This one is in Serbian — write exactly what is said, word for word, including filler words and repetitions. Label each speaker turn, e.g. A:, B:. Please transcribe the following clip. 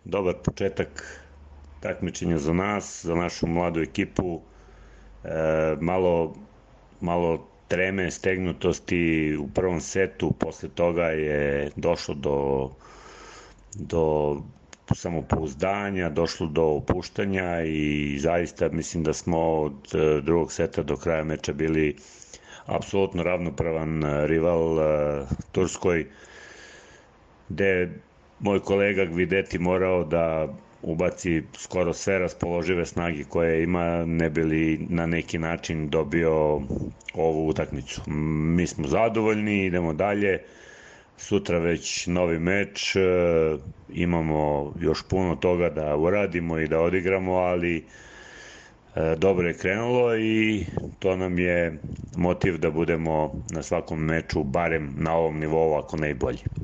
A: dobar početak takmičenja za nas, za našu mladu ekipu. E, malo, malo treme, stegnutosti u prvom setu, posle toga je došlo do, do samopouzdanja, došlo do opuštanja i zaista mislim da smo od drugog seta do kraja meča bili apsolutno ravnopravan rival uh, Turskoj, gde moj kolega Gvideti morao da ubaci skoro sve raspoložive snage koje ima, ne bi li na neki način dobio ovu utakmicu. Mi smo zadovoljni, idemo dalje. Sutra već novi meč, imamo još puno toga da uradimo i da odigramo, ali dobro je krenulo i to nam je motiv da budemo na svakom meču barem na ovom nivou, ako ne i bolji.